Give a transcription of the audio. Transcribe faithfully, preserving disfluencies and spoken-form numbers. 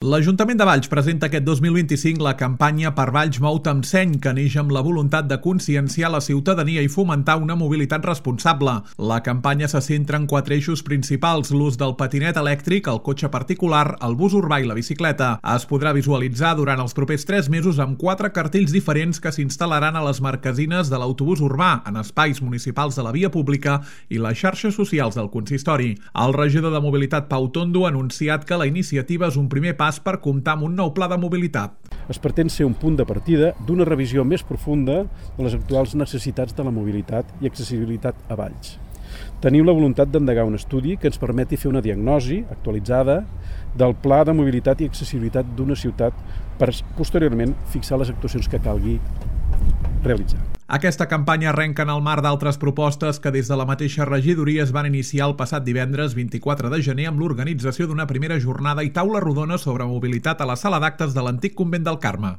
L'Ajuntament de Valls presenta aquest dos mil vint-i-cinc la campanya Per Valls Mou-te amb seny, que neix amb la voluntat de conscienciar la ciutadania i fomentar una mobilitat responsable. La campanya se centra en quatre eixos principals: l'ús del patinet elèctric, el cotxe particular, el bus urbà i la bicicleta. Es podrà visualitzar durant els propers tres mesos amb quatre cartells diferents que s'instal·laran a les marquesines de l'autobús urbà, en espais municipals de la via pública i les xarxes socials del consistori. El regidor de Mobilitat, Pau Tondo, ha anunciat que la iniciativa és un primer pas per comptar amb un nou pla de mobilitat. Es pretén ser un punt de partida d'una revisió més profunda de les actuals necessitats de la mobilitat i accessibilitat a Valls. Tenim la voluntat d'endegar un estudi que ens permeti fer una diagnosi actualitzada del pla de mobilitat i accessibilitat d'una ciutat per posteriorment fixar les actuacions que calgui realitzar. Aquesta campanya arrenca en el marc d'altres propostes que des de la mateixa regidoria es van iniciar el passat divendres vint-i-quatre de gener amb l'organització d'una primera jornada i taula rodona sobre mobilitat a la sala d'actes de l'antic convent del Carme.